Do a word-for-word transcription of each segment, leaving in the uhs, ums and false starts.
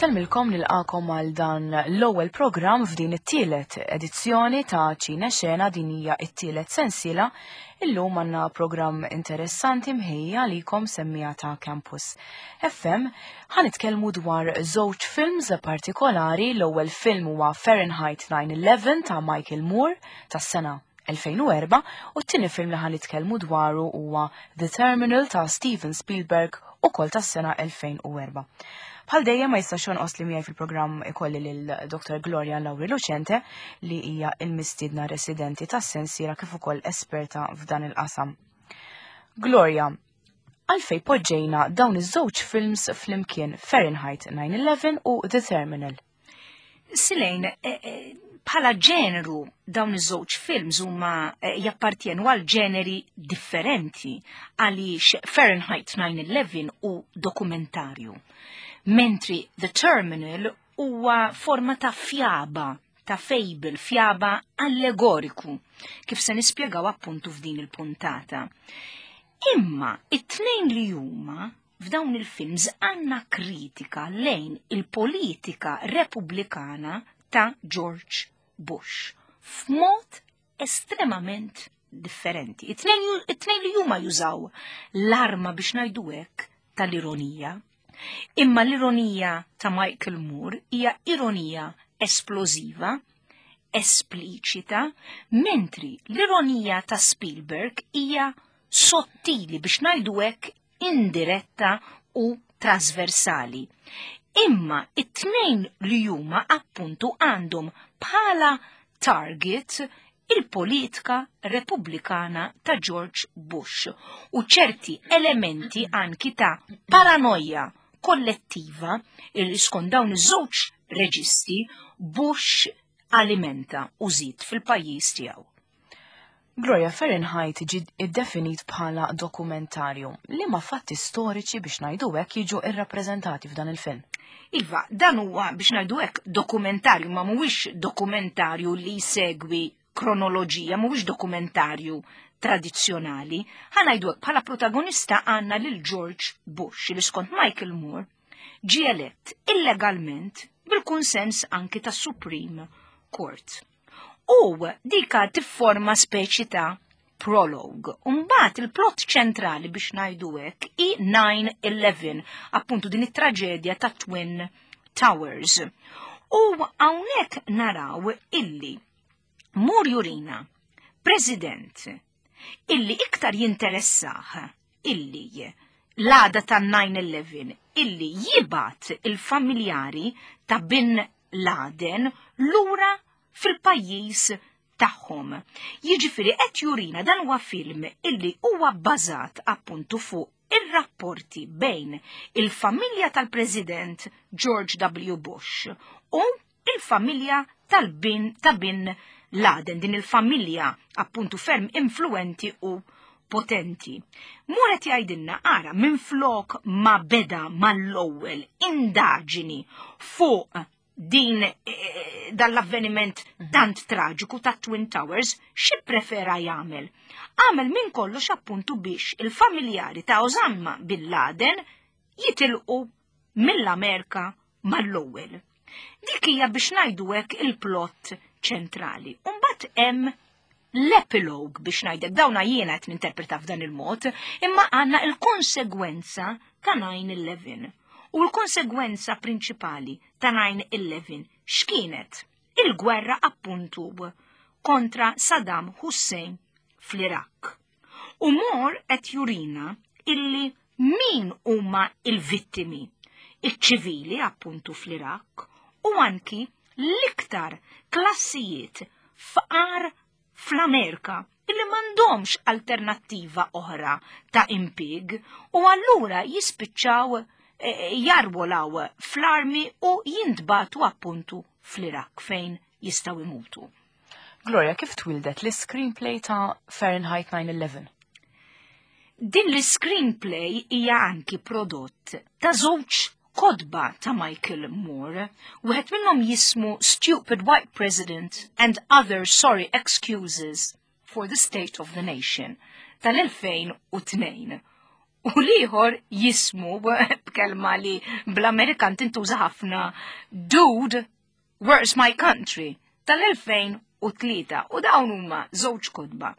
Insellmilkom, nilqagħkom għal dan l-ewwel programm f'din it-tielet edizzjoni ta' Ċine Xena. Din hija t-tielet sensiela. Illum għandna programm interessanti mħejji għalikom, semmiegħa ta' Campus F M. Ħa nitkellmu dwar żewġ films partikolari. L-ewwel film huwa Fahrenheit nine eleven ta' Michael Moore tas-sena elfejn u erbgħa u t-tieni film li ħa nitkellmu dwaru huwa The Terminal ta' Steven Spielberg, ukoll tas-sena elfejn u erbgħa. Bħal dejjem, ma jistax jonqos li miegħi fil-programm ikolli lil Doctor Gloria Lauri Lucente, li hija il-mistiedna residenti tas-sensiela kif ukoll esperta f'dan il-qasam. Gloria, għalfej poġġejna dawn iż-żewġ films flimkien, Fahrenheit nine eleven u The Terminal? Silejn, eh, eh, bħala ġeneru dawn iż-żewġ films huma eh, jappartjenu għal ġeneri differenti, għaliex Fahrenheit nine eleven hu dokumentarju, mentri The Terminal huwa forma ta' fjaba, ta' fable, fjaba allegoriku, kif se nispjegaw appuntu f'din il-puntata. Imma it-tnejn li huma f'dawn il-films għandna kritika lejn il-politika repubblikana ta' George Bush f'mod estremament differenti. It-tnejn li huma jużaw l-arma, biex ngħidu hekk, tal-ironija. Imma l-ironija ta' Michael Moore hija ironija esplożiva, espliċita, mentri l-ironija ta' Spielberg hija sottili, biex ngħidu hekk, indiretta u trasversali. Imma it-tnejn li huma appuntu għandhom bħala target il-politika repubblikana ta' George Bush u ċerti elementi anki ta' paranoja kollettiva il skont dawn iż-żewġ reġisti Bush alimenta u żid fil-pajjiż tiegħu. Gloria, Fahrenheit ġi iddefinit bħala dokumentarju. Liema fatti storiċi, biex ngħidu hekk, jiġu irrappreżentati f'dan il-film? Iva, dan huwa, biex ngħidu hekk, dokumentarju, ma mhuwiex dokumentarju li jsegwi kronoloġija, mhuwiex dokumentarju tradizzjonali. Ħa ngħidu hekk, bħala protagonista għandna lil George Bush, li skont Michael Moore ġie elett illegalment bil-kunsens anki tas Supreme Court. U dika tifforma speċi ta' prologue. Umbagħad il-plot ċentrali, biex ngħidu hekk, hi nine eleven, appuntu din it-traġedja ta' Twin Towers. U hawnhekk naraw illi Moore jurina president illi iktar jinteressah illi l-għada ta' nine eleven illi jibgħat il-familjari ta' Bin Laden lura fil-pajjiż tagħhom. Jiġifieri qed jurina, dan huwa film illi huwa bbażat appuntu fuq ir-rapporti bejn il-familja tal-President George W. Bush u il-familja tal-bin ta' Bin Laden, din il-familja appuntu ferm influenti u potenti. Moore qed jgħidilna, ara, minn flok ma beda mal-ewwel indaġini fuq din eh, dal-avveniment tant traġiku ta' Twin Towers, xi prefera jagħmel? Għamel minn kollox appuntu biex il-familjari ta' Osama Bin Laden jitilqu mill-Amerika mal-ewwel. Dik hija, biex ngħidu hekk, il-plot ċentrali. Umbagħad hemm l-epilogue, biex ngħidlek, dawna jiena qed ninterpreta f'dan il-mod, imma għandna il-konsegwenza ta' nine eleven. U l-konsegwenza prinċipali ta' nine eleven x'kienet? Il-gwerra appuntu kontra Saddam Hussein fl-Iraq. U Moore qed jurina illi min huma il-vittimi? Iċ-ċivili appuntu fl-Iraq u anki l-iktar klassijiet fqar fl-Amerika illi m'għandhomx alternattiva oħra ta' impig u allura jispiċċaw eh, jarwolaw fl-armi u jintbagħtu appuntu fl-Iraq fejn jistgħu imutu. Gloria, kif twildet l-screenplay ta' Fahrenheit nine eleven? Din l-screenplay hija anki prodott ta' żewġ kotba ta' Michael Moore, wieħed minnhom jismu Stupid White President and Other Sorry Excuses for the State of the Nation tal-elfejn u tnejn. U l-ieħor jismu b'kelma li bl-Amerikan tintuża ħafna, Dude, Where's My Country, tal-elfejn u tlieta. U dawn huma żewġ kotba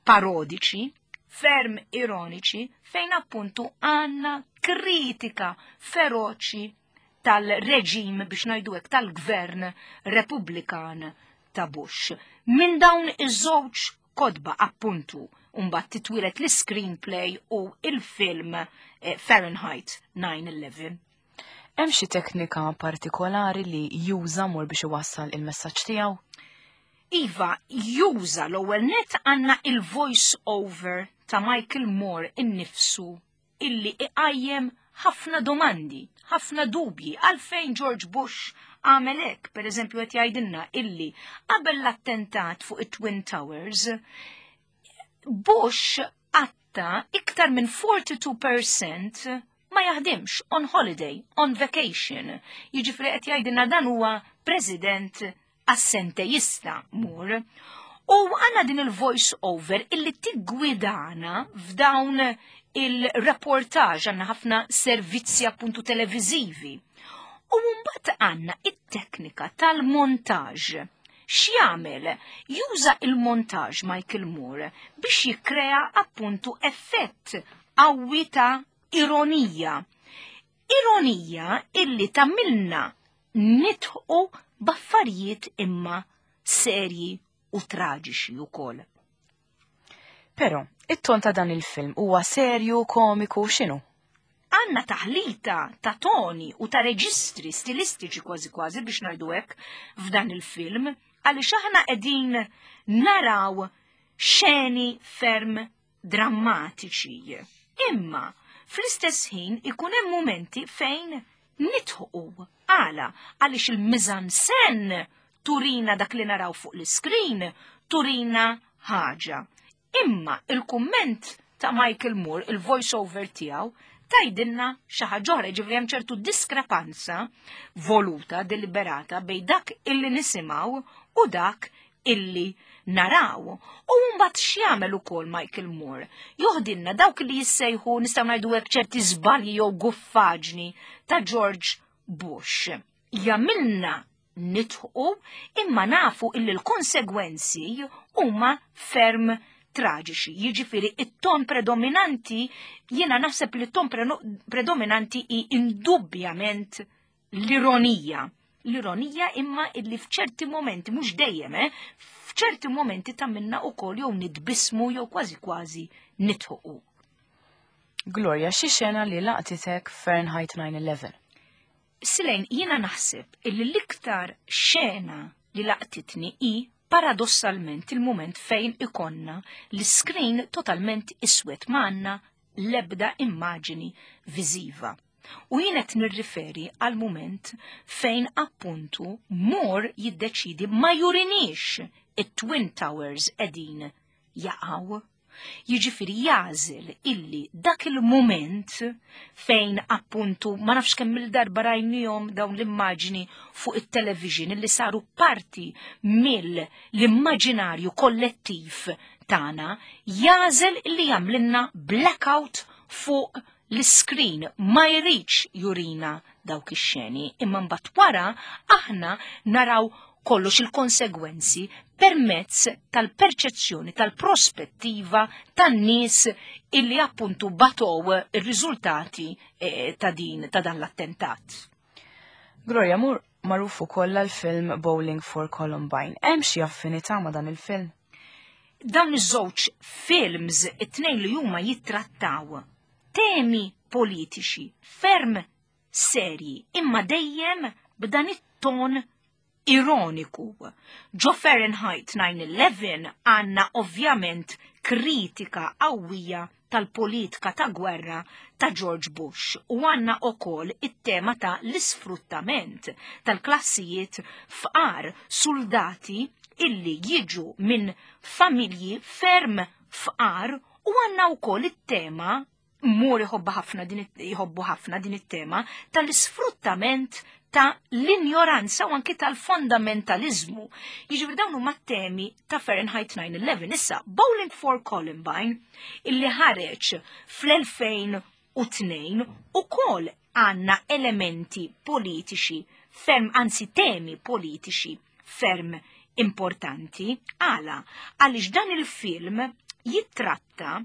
parodiċi, ferm ironiċi, fejn appuntu għandna kritika feroċi tal-reġim, biex ngħidu hekk, tal-gvern Repubblikan ta' Bush. Minn dawn iż-żewġ kotba appuntu mbagħad titwieled l-screenplay u il-film eh, Fahrenheit nine eleven. Hemm xi teknika partikolari li juża Moore biex iwassal il-messaġġ tiegħu? Iva, juża, l-ewwel net għandna il-voice over ta' Michael Moore innifsu illi iqajjem ħafna domandi, ħafna dubji għalfejn George Bush għamel hekk. Per eżempju, qed jgħidilna illi qabel l-attentat fuq it-Twin Towers, Bush qatta' iktar minn erbgħa u erbgħin fil-mija ma jaħdimx, on holiday, on vacation. Jiġifieri qed jgħidilna dan huwa president assenteista, Moore. U għandna din il-voice over illi tiggwidana f'dawn il-reportaġ, għandna ħafna servizzi appuntu televizivi. U mbagħad għandna it-teknika tal-montaġ. X'jagħmel? Juża il-montaġ Michael Moore biex jikkrea appuntu effett qawwi ta' ironija. Ironija illi tagħmilna nidħqu b'affarijiet imma serji u traġiċi wkoll. Però, it-ton ta' dan il-film huwa serju, komiku, x'inhu? Għandna taħlita ta' toni u ta' reġistri stilistiċi kważi kważi, biex ngħidu hekk, f'dan il-film, għaliex aħna qegħdin naraw xeni ferm drammatiċi. Imma fl-istess ħin ikun hemm momenti fejn nidħqu. Għala? Għaliex il-mise-en-scène turina dak li naraw fuq l-screen, turina ħaġa. Imma il-kumment ta' Michael Moore, il-voice-over tiegħu, tgħidilna xi ħaġa oħra, ġifieri hemm ċertu diskrepanza voluta, deliberata, bejn dak illi nisimgħu u dak illi naraw. U mbagħad x'jagħmel ukoll Michael Moore? Joħdilna dawk li jissejħu, nistgħu ngħidu hekk, ċerti żbalji jew guffaġni ta' George Bush. Jagħmilna nidħqu imma nafu illi l-konsegwenzi huma ferm traġiċi. Jiġifieri it-ton predominanti, jiena naħseb li t-ton predominanti hi indubbjament l-ironija. L-ironija imma illi f'ċerti momenti, mhux dejjem, eh, f'ċerti momenti tagħmilna wkoll jew nitbissmu jew kważi kważi nidħqu. Gloria, xi xena li laqtitek Fahrenheit nine eleven? Silejn, jiena naħseb illi l-iktar xena li laqtitni hi paradossalment il-moment fejn ikollna l-screen totalment iswed, m'għandna lebda immaġini viżiva. U jien qed nirriferi għal moment fejn appuntu Moore jiddeċidi ma jurinix it-Twin Towers qegħdin jaqgħu. Jiġifieri jagħżel illi dak il-moment fejn appuntu ma nafx kemm il-darba rajnihom dawn l-immaġini fuq it-television illi saru parti mill-immaġinarju kollettiv tagħna, jagħżel illi jagħmlilna blackout fuq l-screen, ma jridx jurina dawk ix-xeni, imma mbagħad wara aħna naraw kollox, il-konsegwenzi, permezz tal-perċezzjoni, tal-prospettiva tan-nies illi appuntu batow ir-riżultati eh, ta' din ta' dan l-attentat. Gloria, Moore magħruf ukoll għal-film Bowling for Columbine. Hemm xi affinità ma' dan il-film? Dawn iż-żewġ films, it-tnejn li huma jittrattaw temi politiċi ferm serji, imma dejjem b'dan it-ton ironiku. Ġo Fahrenheit nine eleven għandna ovvjament kritika qawwija tal-politika ta' gwerra ta' George Bush u għandna ukoll it-tema ta' l-isfruttament tal-klassijiet fqar, soldati illi jiġu minn familji ferm fqar, u għandna ukoll it-tema, Moore jħobba ħafna din, jħobbu ħafna din it-tema tal-isfruttament. ta' l-injoranza u anki tal-fondamentalizmu. Jiġifieri dawn huma temi ta' Fahrenheit nine eleven. Issa, Bowling for Columbine, illi ħareġ fl-elfejn u tnejn, ukoll għandna elementi politiċi ferm, anzi temi politiċi ferm importanti. Għala? Għaliex dan il-film jittratta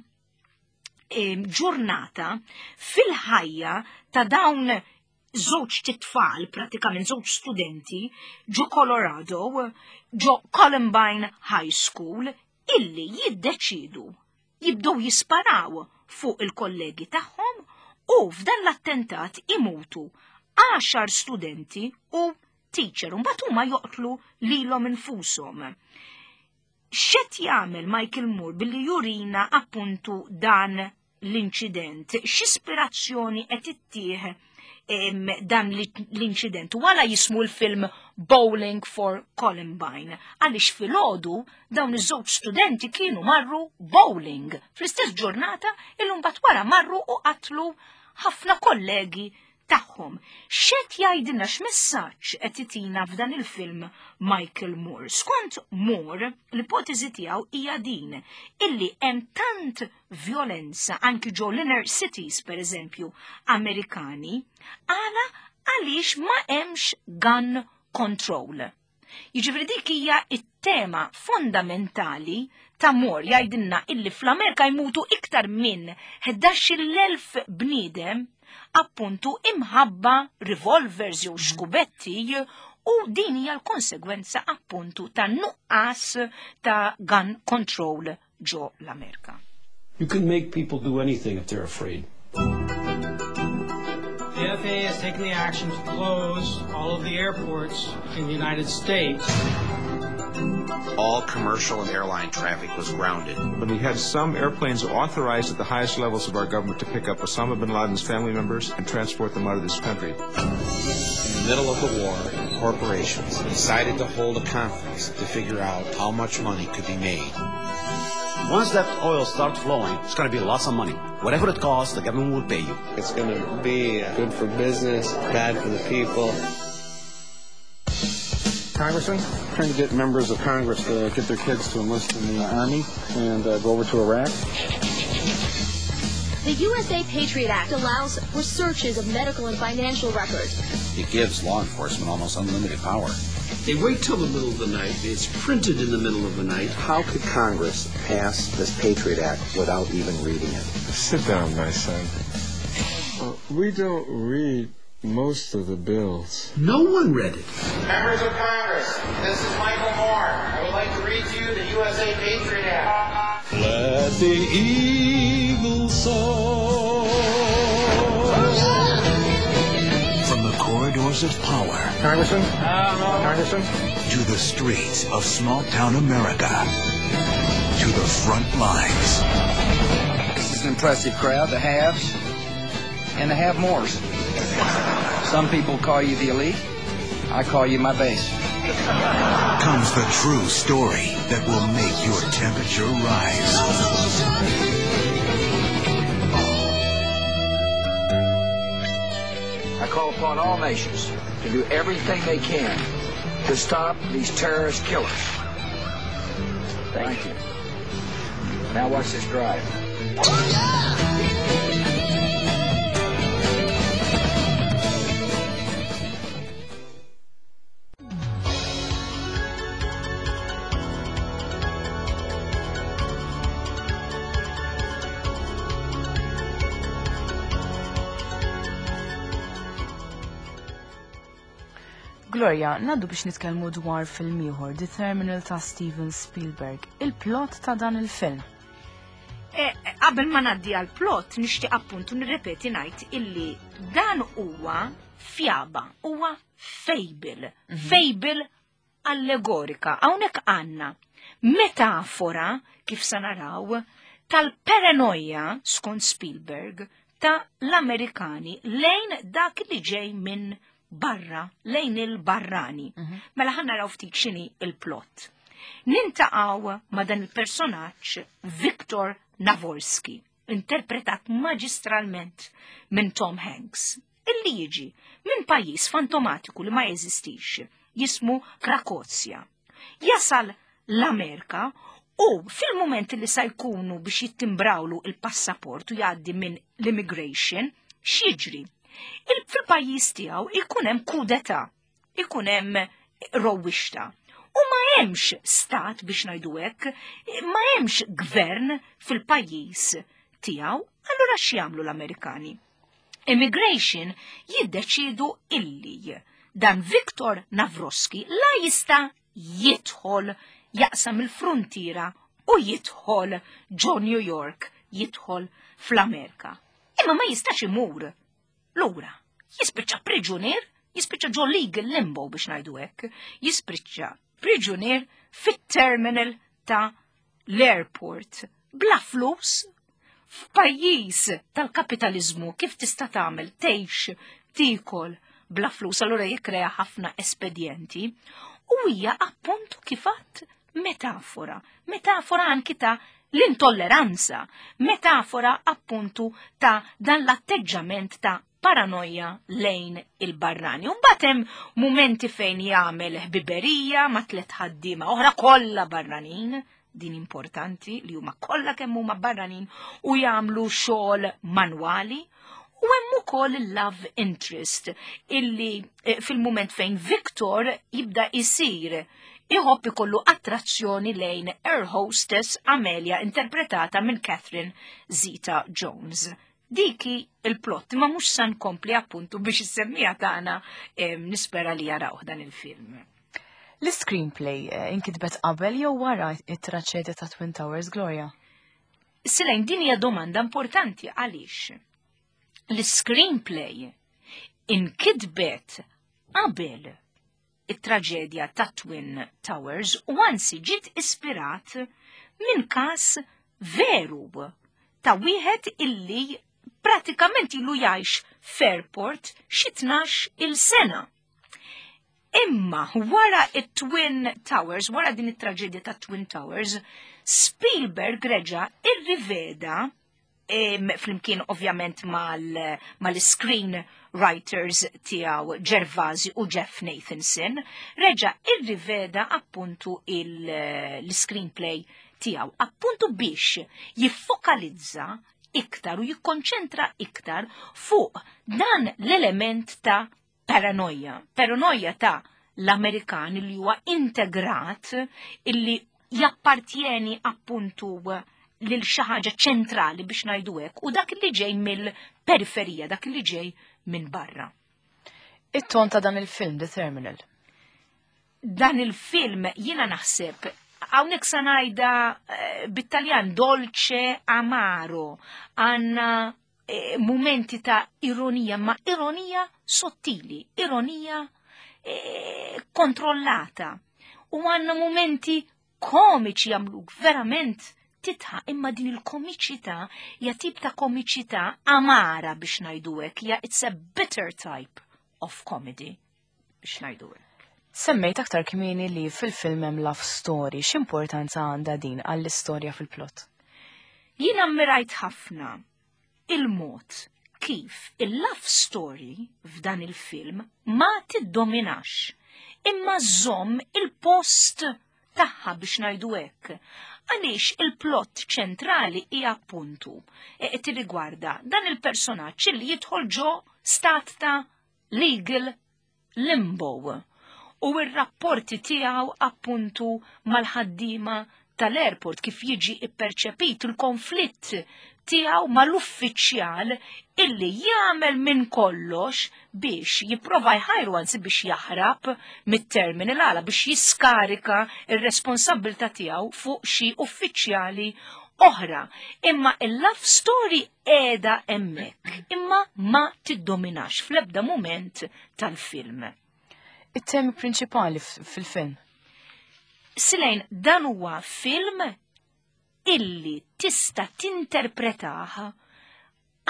ġurnata fil-ħajja ta' dawn żewġ titfal, pratikament żewġ studenti, ġo Colorado, ġo Columbine High School, illi jiddeċidu jibdew jisparaw fuq il-kollegi tagħhom u f'dan l-attentat imutu għaxar studenti u teacher, u mbagħad huma joqtlu lilhom infushom. X'qed jagħmel Michael Moore billi jurina appuntu dan l-inċident? X'ispirazzjoni qed ittih dan l-inċident? Wala jismu l-film Bowling for Columbine? Għaliex filgħodu dawn iż-żewġ studenti kienu marru bowling fl-istess ġurnata illum bat wara marru u qatlu ħafna kollegi tagħhom. X'qed jgħidilna, x'messaġġ qed itina f'dan il-film Michael Moore? Skont Moore, l-ipotezi tiegħu hija din illi hemm tant violenza anki ġo l-inner cities, per eżempju, Amerikani, għala għaliex ma hemmx gun control. Jiġifieri dik hija it-tema fondamentali ta' Moore. Jgħidilna illi fl-Amerika jmutu iktar minn ħdax-il elf bniedem appuntu imħabba revolvers jew xkubetti u din hija l-konsegwenza appuntu ta' nuqqas ta' gun control ġo l-Amerika. You can make people do anything if they're afraid. The F A A has taken the action to close all of the airports in the United States. All commercial and airline traffic was grounded. When we had some airplanes authorized at the highest levels of our government to pick up Osama bin Laden's family members and transport them out of this country. In the middle of the war, corporations decided to hold a conference to figure out how much money could be made. Once that oil starts flowing, it's going to be lots of money. Whatever it costs, the government will pay you. It's going to be good for business, bad for the people. Congressman, trying to get members of Congress to get their kids to enlist in the Army and uh, go over to Iraq. The U S A Patriot Act allows for searches of medical and financial records. It gives law enforcement almost unlimited power. They wait till the middle of the night. It's printed in the middle of the night. How could Congress pass this Patriot Act without even reading it? Sit down, my son. Uh, we don't read most of the bills. No one read it. Members of Congress, this is Michael Moore. I would like to read to you the U S A Patriot Act. Let the eagle soar. From the corridors of power Congressman? Congressman? To the streets of small town America to the front lines. This is an impressive crowd, the haves and the have mores. Some people call you the elite. I call you my base. Comes the true story that will make your temperature rise. I call upon all nations to do everything they can to stop these terrorist killers. Thank you. Now watch this drive. Gloria, ngħaddu biex nitkellmu dwar film ieħor, The Terminal ta' Steven Spielberg. Il-plot ta' dan il-film. E, qabel ma ngħaddi għal plot, nixtieq appuntu nirrepeti ngħid illi dan huwa fjaba, huwa fable, fable allegorika. Hawnhekk għandna metafora, kif sa naraw, tal-paranoja, skont Spielberg, ta' l-Amerikani lejn dak li ġej minn barra, lejn il-barrani. Mela ħa naraw ftit x'inhi il-plot. Niltaqgħu ma' dan il-personaġġ Victor Navorski, interpretat maġistralment minn Tom Hanks, illi jiġi minn pajjiż fantomatiku li ma jeżistix, jismu Krakozja. Jasal l-Amerika u fil-moment li sa jkunu biex jittimbrawlu il-passaport u jgħaddi minn l-immigration, x'jiġri? Fil-pajjiż tiegħu ikun hemm kudeta, ikun hemm rowwixta. U ma hemmx stat biex ngħidu hekk, ma hemmx gvern fil-pajjiż tiegħu, allura x'jagħmlu l-Amerikani? Immigration jiddeċidu illi dan Viktor Navrosky la jista' jidħol jaqsam il-frontiera u jidħol ġo New York, jidħol fl-Amerika. Imma ma jistax imur lura. Jispiċċa priġunier, jispiċċa ġo legal limbo biex ngħidu hekk, jispiċċa priġunier fit-terminal ta' l-airport bla flus f'pajjiż tal-kapitalizmu kif tista' tagħmel tgħix tiekol bla flus, allura jikkrea ħafna espedjenti u hija appuntu kif għedt metafora, metafora anki ta' l-intolleranza, metafora appuntu ta' dan l-atteġġament ta' paranoja lejn il-barrani. Mbagħad hemm mumenti fejn jagħmel ħbiberija ma' tliet ħaddiema oħra kollha barranin, din importanti li huma kollha kemm huma barranin u jagħmlu xogħol manwali. U hemm ukoll il-love interest illi eh, fil-mument fejn Victor jibda isir iħobb ikollu attrazzjoni lejn air hostess Amelia interpretata minn Catherine Zeta Jones. Diki il-plot, ma mhux sa nkompli appuntu biex is-semmiegħa tagħna eh, nispera li jaraw dan il-film. L-screenplay eh, inkitbet qabel jew wara it-traċedja ta' Twin Towers, Gloria? Silejn, din hija domanda importanti għaliex l-screenplay inkitbet qabel it-traġedja ta' Twin Towers u anzi ġiet ispirat minn kas veru ta' wieħed illi pratikament ilu jgħix f'airport xi tnax il sena. Imma wara it-Twin Towers, wara din it-traġedja ta' Twin Towers, Spielberg reġa irriveda flimkien ovvjament mal-screen writers tiegħu Gervasi u Jeff Nathanson, reġa irriveda appuntu l-screenplay tiegħu, appuntu biex jiffokalizza iktar u jikkonċentra iktar fuq dan l-element ta' paranoja. Paranoja ta' l-Amerikan li huwa integrat illi jappartjeni appuntu lil xi ħaġa ċentrali biex ngħidu hekk u dak li ġej mill-periferija, dak li ġej minn barra. It-ton ta' dan il-film, The Terminal. Dan il-film jiena naħseb hawnhekk sa ngħidha eh, bit-Taljan dolce amaro, għandna eh, momenti ta' ironija, ma ironija sottili, ironija eh, kontrollata. U għandna momenti komiċi jagħmluk verament tidħak, imma din il-komiċità hija tip ta' komiċità amara biex ngħidu hekk, hija it's a bitter type of comedy biex ngħidu hekk. Semmejt aktar kmieni li fil-film hemm love story, x'importanza għandha din għall-istorja fil-plot? Jien ammirajt ħafna il-mod kif il-love story f'dan il-film ma tiddominax, imma żomm il-post tagħha biex ngħidu hekk. Għaliex il-plot ċentrali hija appuntu e tirrigwarda dan il-personaġġ li jidħol ġo stat ta' legal limbo u r-rapporti tiegħu appuntu mal-ħaddiema tal-airport kif jiġi ipperċepit il-konflitt tiegħu mal-uffiċjal illi jagħmel minn kollox biex jipprova jħajru anzi biex jaħrab mit-terminal għala biex jiskarika ir-responsabbiltà tiegħu fuq xi uffiċjali oħra. Imma il-love story qiegħda hemmhekk, imma ma tiddominax fl-ebda moment tal-film. It-temi prinċipali fil-film. Silejn, dan huwa film illi tista' tinterpretah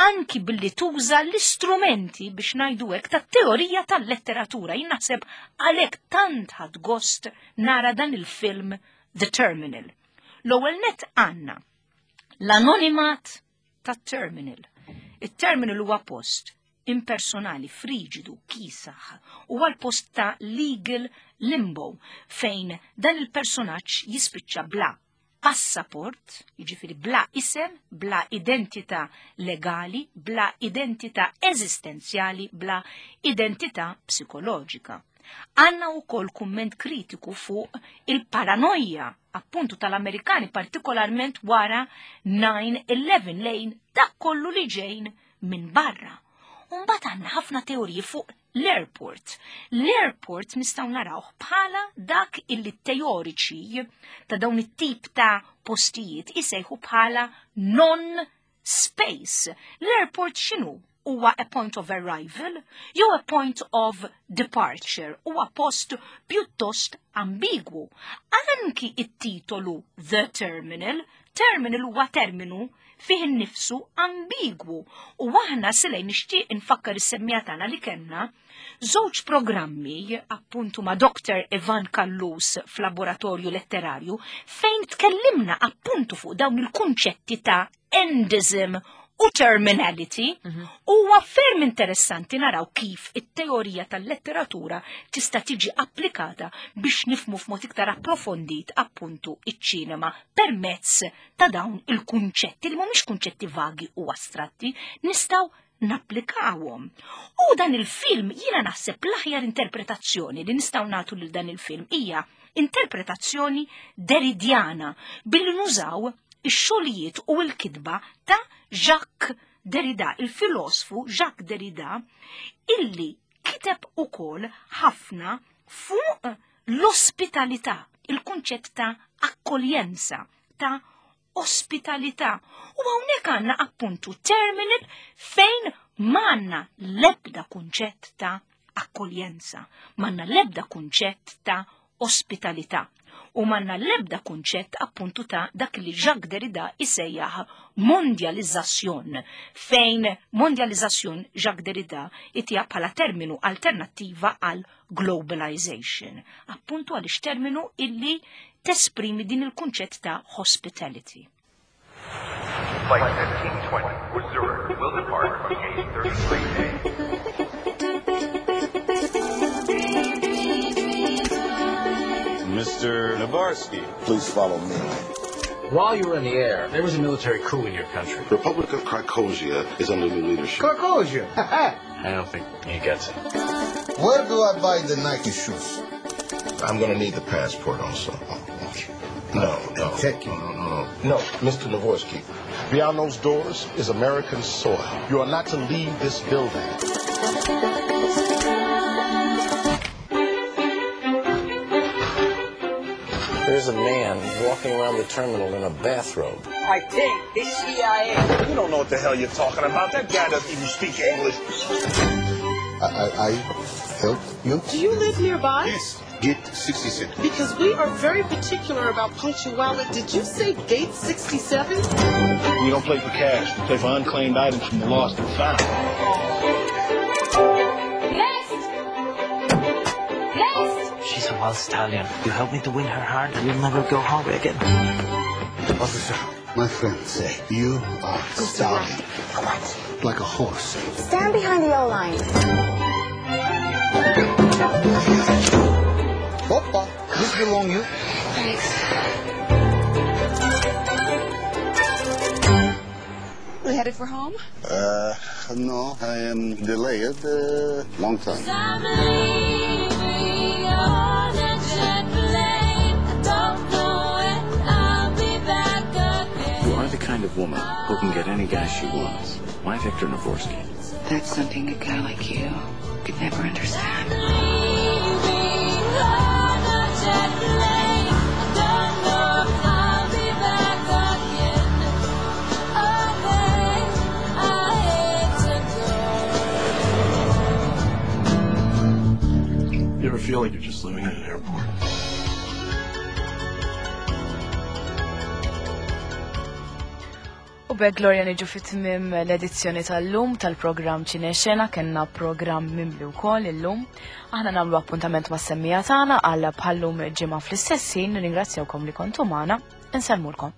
anki billi tuża l-istrumenti biex ngħidu hekk tat-teorija tal-letteratura. Jien naħseb għalhekk tant ħadt gost nara dan il-film The Terminal. L-ewwel net għandna l-anonimat tat-terminal. Il-terminal huwa post impersonali, friġidu, kisaħ, u għal post ta' legal limbo fejn dan il-personaġġ jispiċċa bla passaport, jiġifieri bla isem, bla identità legali, bla identità eżistenzjali, bla identità psikoloġika. Għanna u kol kumment kritiku fuq il-paranoja appuntu tal-Amerikani, partikolarment wara nine eleven lejn dak kollu li ġejn minn barra. Umbagħad għandna ħafna teoriji fuq l-airport. L-airport nistgħu narawh bħala dak illi teoriċi ta' dawn it-tip ta' postijiet isejħu bħala non-space. L-airport x'inhu? Huwa a point of arrival jew a point of departure, huwa post pjuttost ambigwu. Anki it-titolu The Terminal, terminal huwa terminu fih innifsu ambigwu. U aħna silej nixtieq infakkar is-semmija tagħna li kellna żewġ programmi appuntu ma' Doktor Ivan Callus f'laboratorju letterarju fejn tkellimna appuntu fuq dawn il-kunċetti ta' endism u terminality. Mhm. Huwa ferm interessanti naraw kif it-teorija tal-letteratura tista' tiġi applikata biex nifmu f'mod iktar approfondit appuntu iċ-ċinema permezz ta' dawn il-kunċetti li mhumiex kunċetti vagi u astratti, nistgħu napplikawhom. U dan il-film jiena naħseb l-aħjar interpretazzjoni li nistgħu nagħtu lil dan il-film hija interpretazzjoni Derridiana billi nużaw ix-xogħlijiet u l-kitba ta' Jacques Derrida, il-filosfu Jacques Derrida, illi kiteb ukoll ħafna fuq l-ospitalità, il-kunċett ta' akkoljenza, ta' ospitalità. U hawnhekk għandna appuntu terminal fejn m'għandna l-ebda kunċett ta' akkoljenza, m'għandna l-ebda kunċett ta' ospitalità. U m'għandna l-ebda kunċett appuntu ta' dak li Jacques Derrida isejjaħ mondializzazzjon, fejn mondializzazzjon Jacques Derrida itija bħala terminu alternattiva għal globalization, appuntu għaliex terminu illi tesprimi din il-kunċett ta' hospitality. Flight fifteen twenty for Zurich will depart from gate thirty-three A. Mister Navorski, please follow me. While you were in the air, there was a military coup in your country. Republic of Carcosia is under new leadership. Carcosia? I don't think he gets it. Where do I buy the Nike shoes? I'm gonna need the passport also. Oh, okay. No, no. Take no, no, no, no. No, Mister Navorski. Beyond those doors is American soil. You are not to leave this building. There's a man walking around the terminal in a bathrobe. I think this C I A. You don't know what the hell you're talking about. That guy doesn't even speak English. I, I, I help you? Do you live nearby? Yes. Gate sixty-seven. Because we are very particular about punctuality. Did you say gate sixty-seven? We don't play for cash. We play for unclaimed items from the lost and found. Next! Next! She's a wild stallion. You help me to win her heart, and you'll never go hungry again. Officer, my friends say you are stallion. What? Like a horse. Stand behind the O-line. Opa, this belong you. Thanks. We headed for home? Uh, no, I am delayed a uh, long time. I'm leaving on a jet plane. I don't know when I'll be back again. You are the kind of woman who can get any guy she wants. Why Victor Navorski? That's something a guy like you could never understand. You ever feel like you're just living in an airport? U b'hekk Gloria niġu fit-tmiem l-edizzjoni tal-lum tal-programm Ċinexena, kellna programm mimli wkoll illum. Aħna nagħmlu appuntament mas-semmija tagħna għal bħallum ġimgħa fl-istess ħin, nirringrazzjawkom li kontu magħna, insellmulkom.